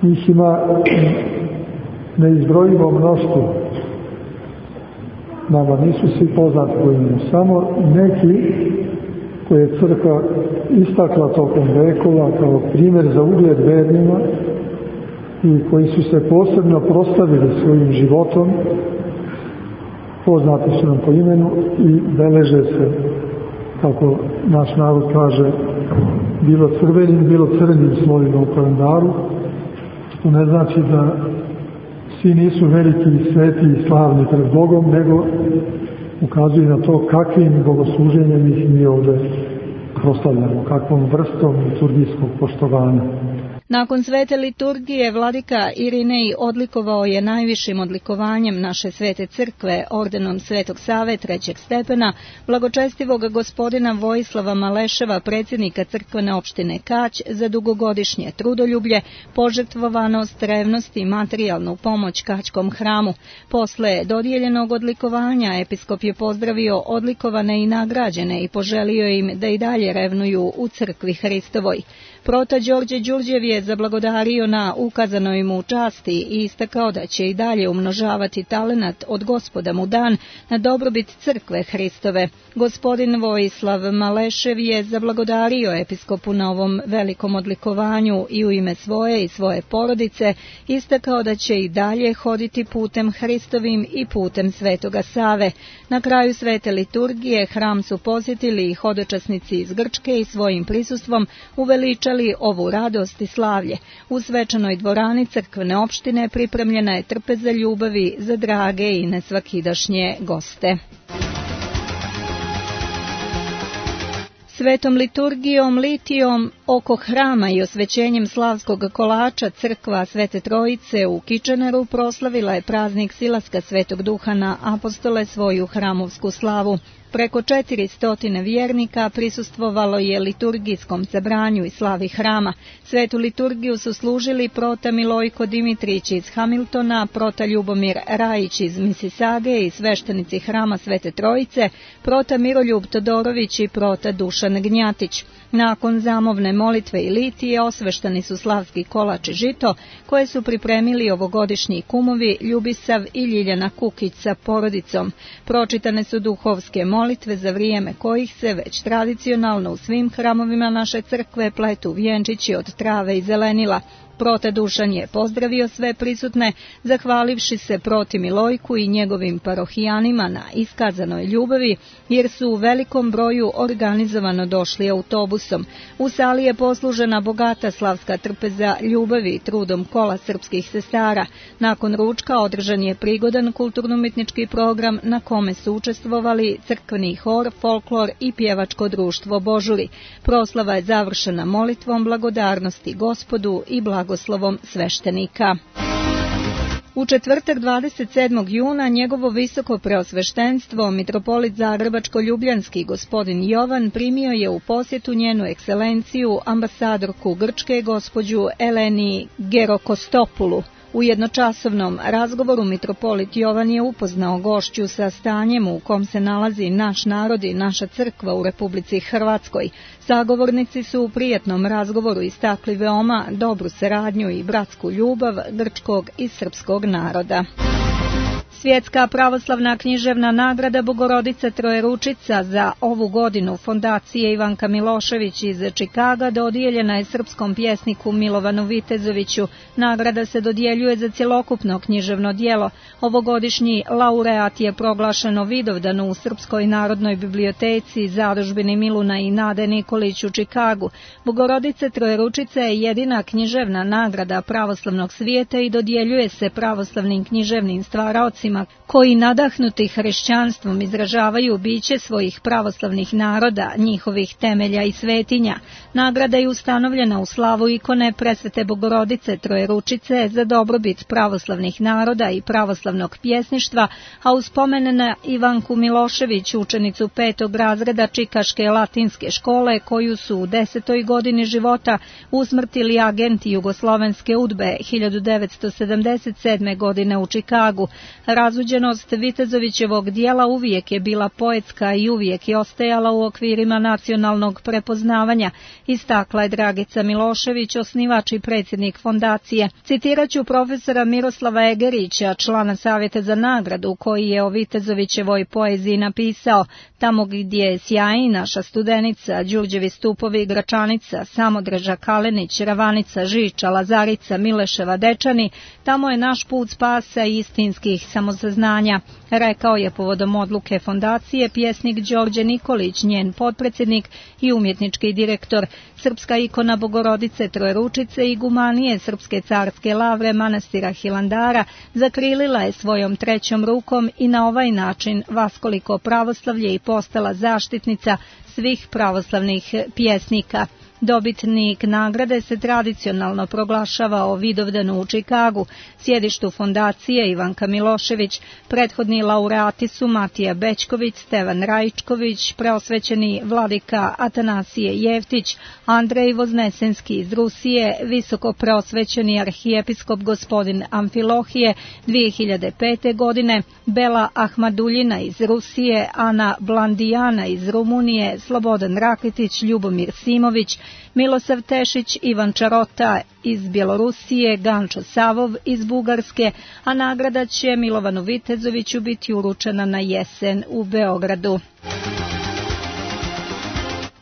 Njih ima neizbrojivo mnoštvo. Nama nisu svi poznati po imenu, samo neki koje je crkva istakla tokom vekova kao primjer za ugled vernima i koji su se posebno proslavili svojim životom, poznati su nam po imenu i beleže se, kako naš narod kaže, bilo crvenim, bilo crnim slovima u kalendaru, što ne znači da svi nisu veliki, sveti i slavni pred Bogom, nego ukazuje na to kakvim bogosluženjem ih mi ovdje proslavljamo, kakvom vrstom liturgijskog poštovanja. Nakon svete liturgije vladika Irinej odlikovao je najvišim odlikovanjem naše svete crkve, ordenom Svetog Save trećeg stepena, blagočestivog gospodina Vojislava Maleševa, predsjednika crkvene opštine Kać, za dugogodišnje trudoljublje, požrtvovanost, revnost i materijalnu pomoć Kaćkom hramu. Posle dodijeljenog odlikovanja episkop je pozdravio odlikovane i nagrađene i poželio im da i dalje revnuju u crkvi Hristovoj. Prota Đorđe Đurđev je zablagodario na ukazanoj mu časti i istakao da će i dalje umnožavati talenat od Gospoda mu dan na dobrobit crkve Hristove. Gospodin Vojislav Malešev je zablagodario episkopu na ovom velikom odlikovanju i u ime svoje i svoje porodice istakao da će i dalje hoditi putem Hristovim i putem Svetoga Save. Na kraju svete liturgije hram su posjetili i hodočasnici iz Grčke i svojim prisustvom uveličali ovu radost i slavlje. U svečanoj dvorani crkvene opštine pripremljena je trpeza ljubavi za drage i nesvakidašnje goste. Svetom liturgijom, litijom oko hrama i osvećenjem slavskog kolača crkva Svete Trojice u Kičaneru proslavila je praznik silaska Svetog Duha na apostole svoju hramovsku slavu. Preko 400 vjernika prisustvovalo je liturgijskom sabranju i slavi hrama. Svetu liturgiju su služili prota Milojko Dimitrić iz Hamiltona, prota Ljubomir Rajić iz Misisage i sveštenici hrama Svete Trojice, prota Miroljub Todorović i prota Dušan Gnjatić. Nakon zamovne molitve i litije osveštani su slavski kolač i žito, koje su pripremili ovogodišnji kumovi Ljubisav i Ljiljana Kukić sa porodicom. Pročitane su duhovske molitve za vrijeme kojih se već tradicionalno u svim hramovima naše crkve pletu vjenčići od trave i zelenila. Prota Dušan je pozdravio sve prisutne, zahvalivši se proti Milojku i njegovim parohijanima na iskazanoj ljubavi, jer su u velikom broju organizovano došli autobusom. U sali je poslužena bogata slavska trpeza ljubavi i trudom kola srpskih sestara. Nakon ručka održan je prigodan kulturno-umjetnički program na kome su učestvovali crkveni hor, folklor i pjevačko društvo Božuri. Proslava je završena molitvom blagodarnosti Gospodu i blagoslovom sveštenika. U četvrtak 27. juna njegovo visoko preosveštenstvo, mitropolit Zagrebačko-Ljubljanski gospodin Jovan, primio je u posjetu njenu ekscelenciju ambasadorku Grčke gospođu Eleni Gerokostopulu. U jednočasovnom razgovoru mitropolit Jovan je upoznao gošću sa stanjem u kom se nalazi naš narod i naša crkva u Republici Hrvatskoj. Sagovornici su u prijatnom razgovoru istakli veoma dobru saradnju i bratsku ljubav grčkog i srpskog naroda. Svjetska pravoslavna književna nagrada Bogorodica Trojeručica za ovu godinu fondacije Ivanka Milošević iz Čikaga dodijeljena je srpskom pjesniku Milovanu Vitezoviću. Nagrada se dodjeljuje za cjelokupno književno djelo. Ovogodišnji laureat je proglašeno Vidovdan u Srpskoj narodnoj biblioteci, zadužbini Miluna i Nade Nikolić u Čikagu. Bogorodica Trojeručica je jedina književna nagrada pravoslavnog svijeta i dodjeljuje se pravoslavnim književnim stvaraocima koji nadahnuti hrišćanstvom izražavaju biće svojih pravoslavnih naroda, njihovih temelja i svetinja. Nagrada je ustanovljena u slavu ikone Presvete Bogorodice Trojeručice za dobrobit pravoslavnih naroda i pravoslavnog pjesništva, a u spomen na Ivanku Milošević, učenicu 5. razreda Čikaške latinske škole, koju su u 10. godini života usmrtili agenti Jugoslovenske UDBE 1977. godine u Čikagu. Razuđenost Vitezovićevog dijela uvijek je bila poetska i uvijek je ostajala u okvirima nacionalnog prepoznavanja, istakla je Dragica Milošević, osnivač i predsjednik fondacije. Citiraću profesora Miroslava Egerića, člana Savjeta za nagradu, koji je o Vitezovićevoj poeziji napisao: tamo gdje je sjaji naša studenica, Đurđevi stupovi, Gračanica, Samodreža, Kalenić, Ravanica, Žiča, Lazarica, Mileševa, Dečani, tamo je naš put spasa i istinskih samosaznanja, rekao je povodom odluke fondacije pjesnik Đorđe Nikolić, njen potpredsjednik i umjetnički direktor. Srpska ikona Bogorodice Trojeručice i gumanije Srpske carske lavre manastira Hilandara zakrilila je svojom trećom rukom i na ovaj način vaskoliko pravoslavlje i postala zaštitnica svih pravoslavnih pjesnika. Dobitnik nagrade se tradicionalno proglašava o Vidovdanu u Čikagu, sjedištu fondacije Ivanka Milošević. Prethodni laureati su Matija Bećković, Stevan Rajičković, preosvećeni vladika Atanasije Jevtić, Andrej Voznesenski iz Rusije, visoko preosvećeni arhijepiskop gospodin Amfilohije 2005. godine, Bela Ahmaduljina iz Rusije, Ana Blandijana iz Rumunije, Slobodan Rakitić, Ljubomir Simović, Milosav Tešić, Ivan Čarota iz Bjelorusije, Gančo Savov iz Bugarske, a nagrada će Milovanu Vitezoviću biti uručena na jesen u Beogradu.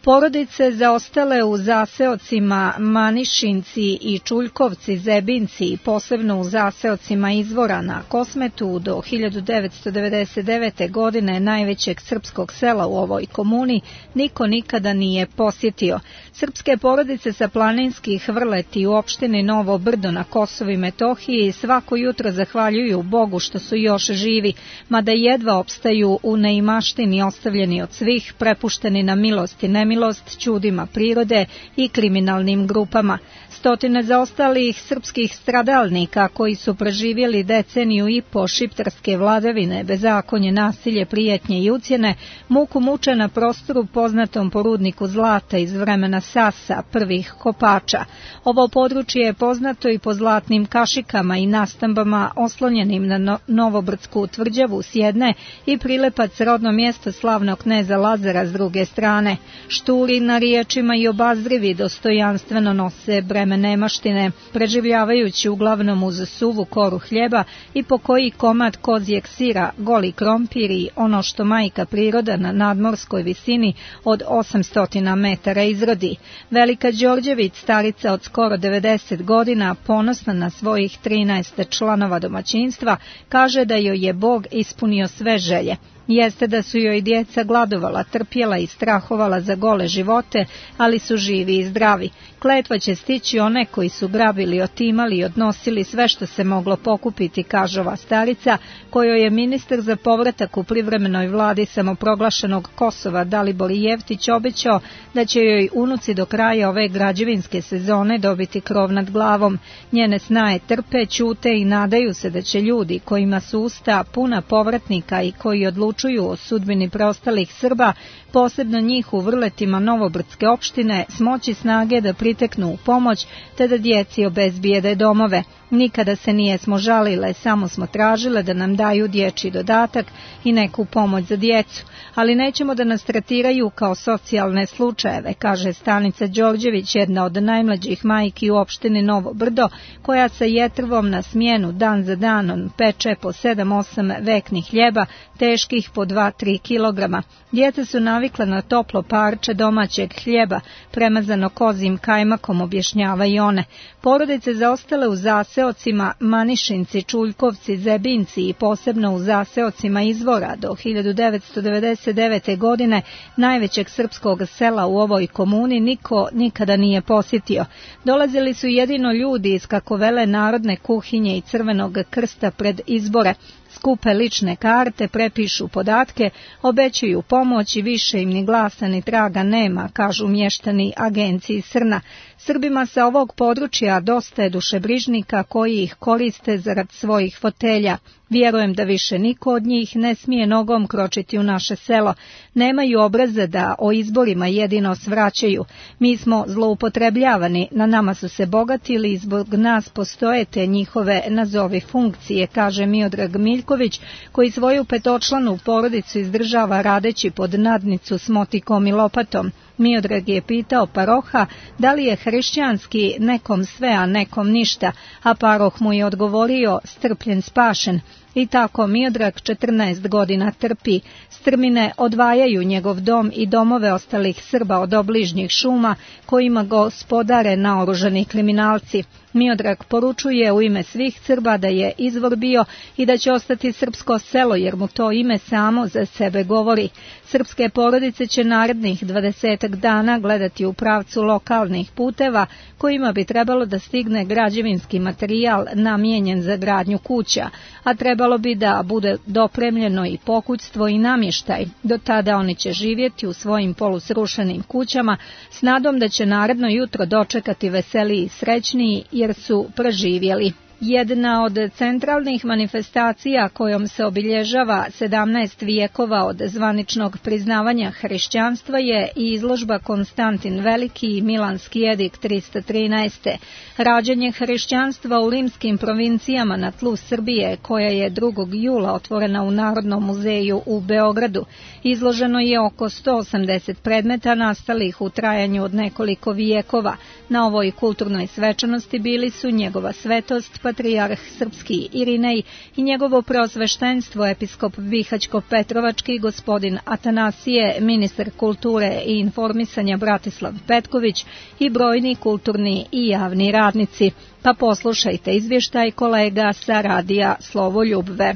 Porodice zaostale u zaseocima Manišinci i Čuljkovci, Zebinci i posebno u zaseocima Izvora na Kosmetu do 1999. godine najvećeg srpskog sela u ovoj komuni niko nikada nije posjetio. Srpske porodice sa planinskih Vrleti u opštini Novo Brdo na Kosovu i Metohiji svako jutro zahvaljuju Bogu što su još živi, mada jedva opstaju u neimaštini ostavljeni od svih, prepušteni na milost i nemilost nemilost ćudima prirode i kriminalnim grupama. Stotine zaostalih srpskih stradalnika koji su preživjeli deceniju i po šiptarske vladavine, bezakonje, nasilje, prijetnje i ucjene, muku muče na prostoru poznatom po rudniku zlata iz vremena Sasa, prvih kopača. Ovo područje je poznato i po zlatnim kašikama i nastambama oslonjenim na Novobrdsku tvrđavu s jedne i Prilepac, rodno mjesto slavnog kneza Lazara s druge strane. Šturi na riječima i obazrivi dostojanstveno nose breme nemaštine, preživljavajući uglavnom uz suvu koru hljeba i po koji komad kozjeg sira, goli krompir i ono što majka priroda na nadmorskoj visini od 800 metara izrodi. Velika Đorđević, starica od skoro 90 godina, ponosna na svojih 13 članova domaćinstva, kaže da joj je Bog ispunio sve želje. Jeste da su joj djeca gladovala, trpjela i strahovala za gole živote, ali su živi i zdravi. Kletva će stići one koji su grabili, otimali i odnosili sve što se moglo pokupiti, kaže ova starica, kojoj je ministar za povratak u privremenoj vladi samoproglašenog Kosova Dalibor Jeftić obećao da će joj unuci do kraja ove građevinske sezone dobiti krov nad glavom. Njene snaje trpe, ćute i nadaju se da će ljudi kojima su usta puna povratnika i koji odlučuju o sudbini preostalih Srba, posebno njih u vrletima Novobrdske opštine, smoći snage da priteknu u pomoć te da djeci obezbijede domove. Nikada se nijesmo žalile, samo smo tražile da nam daju dječji dodatak i neku pomoć za djecu, ali nećemo da nas tretiraju kao socijalne slučajeve, kaže Stanica Đorđević, jedna od najmlađih majki u opštini Novo Brdo, koja sa jetrvom na smjenu dan za danom peče po 7-8 veknih hljeba, teških po 2-3 kilograma. Djeca su navikla na toplo parče domaćeg hljeba, premazano kozim kajmakom, objašnjava i one. Porodice zaostale u zaseocima Manišinci, Čuljkovci, Zebinci i posebno u zaseocima Izvora do 1999. godine, najvećeg srpskog sela u ovoj komuni, niko nikada nije posjetio. Dolazili su jedino ljudi iz, kako vele, narodne kuhinje i Crvenog krsta pred izbore. Skupe lične karte, prepišu podatke, obećaju pomoć i više im ni glasa ni traga nema, kažu mještani agenciji Srna. Srbima sa ovog područja dosta je dušebrižnika koji ih koriste zarad svojih fotelja. Vjerujem da više niko od njih ne smije nogom kročiti u naše selo. Nemaju obraza da o izborima jedino svraćaju. Mi smo zloupotrebljavani, na nama su se bogatili i zbog nas postoje te njihove nazovi funkcije, kaže Miodrag Miljković, koji svoju petočlanu porodicu izdržava radeći pod nadnicu s motikom i lopatom. Miodrag je pitao paroha da li je hrišćanski nekom sve, a nekom ništa, a paroh mu je odgovorio strpljen spašen. I tako Miodrag 14 godina trpi. Strmine odvajaju njegov dom i domove ostalih Srba od obližnjih šuma kojima gospodare naoružani kriminalci. Miodrag poručuje u ime svih Srba da je izvor bio i da će ostati srpsko selo, jer mu to ime samo za sebe govori. Srpske porodice će narednih 20 dana gledati u pravcu lokalnih puteva kojima bi trebalo da stigne građevinski materijal namijenjen za gradnju kuća, a trebalo bi da bude dopremljeno i pokućstvo i namještaj. Do tada oni će živjeti u svojim polusrušenim kućama s nadom da će naredno jutro dočekati veseliji i srećniji jer su preživjeli. Jedna od centralnih manifestacija kojom se obilježava 17 vijekova od zvaničnog priznavanja hrišćanstva je i izložba Konstantin Veliki i Milanski edikt 313. Rađanje hrišćanstva u rimskim provincijama na tlu Srbije, koja je 2. jula otvorena u Narodnom muzeju u Beogradu. Izloženo je oko 180 predmeta nastalih u trajanju od nekoliko vijekova. Na ovoj kulturnoj svečanosti bili su njegova svetost, patrijarh srpski Irinej i njegovo preosveštenstvo episkop Bihaćko-Petrovački gospodin Atanasije, ministar kulture i informisanja Bratislav Petković i brojni kulturni i javni radnici. Pa poslušajte izvještaj kolega sa radija Slovoljubve.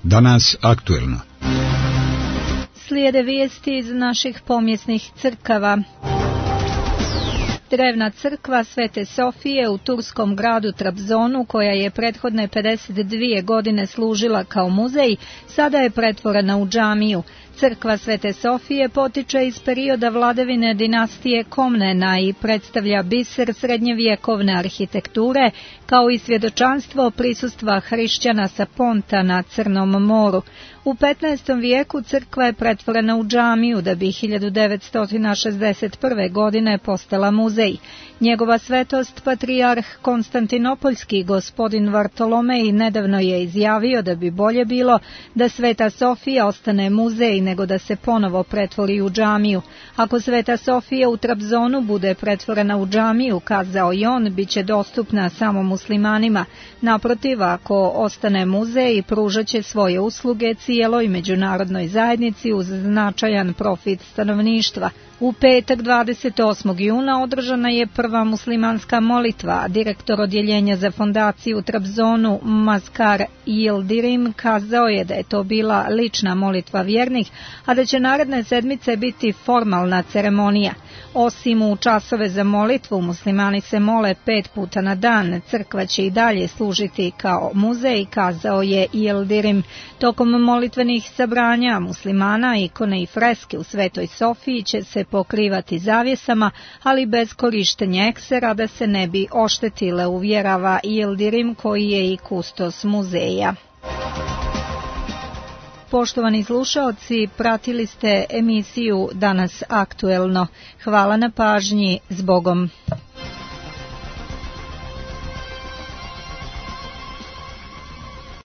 Danas aktuelno. Slijede vijesti iz naših pomjesnih crkava. Drevna crkva Svete Sofije u turskom gradu Trabzonu, koja je prethodne 52 godine služila kao muzej, sada je pretvorena u džamiju. Crkva Svete Sofije potiče iz perioda vladavine dinastije Komnena i predstavlja biser srednjevjekovne arhitekture, kao i svjedočanstvo prisustva hrišćana sa Ponta na Crnom moru. U 15. vijeku crkva je pretvorena u džamiju da bi 1961. godine postala muzej. Njegova svetost patrijarh Konstantinopoljski gospodin Vartolomej nedavno je izjavio da bi bolje bilo da Sveta Sofija ostane muzej nego da se ponovo pretvori u džamiju. Ako Sveta Sofija u Trabzonu bude pretvorena u džamiju, kazao i on, bit će dostupna samo muslimanima. Naprotiv, ako ostane muzej, pružat će svoje usluge cijeloj međunarodnoj zajednici uz značajan profit stanovništva. U petak 28. juna održana je prva muslimanska molitva. Direktor odjeljenja za fondaciju u Trabzonu Mazkar Yildirim kazao je da je to bila lična molitva vjernih, a da će naredne sedmice biti formalna ceremonija. Osim u časove za molitvu, muslimani se mole 5 puta na dan. Crkva će i dalje služiti kao muzej, kazao je Yildirim. Tokom molitvenih sabranja muslimana, ikone i freske u Svetoj Sofiji će se pokrivati zavjesama, ali bez korištenja eksera da se ne bi oštetile, uvjerava Yildirim, koji je i kustos muzeja. Poštovani slušaoci, pratili ste emisiju Danas aktuelno. Hvala na pažnji, zbogom.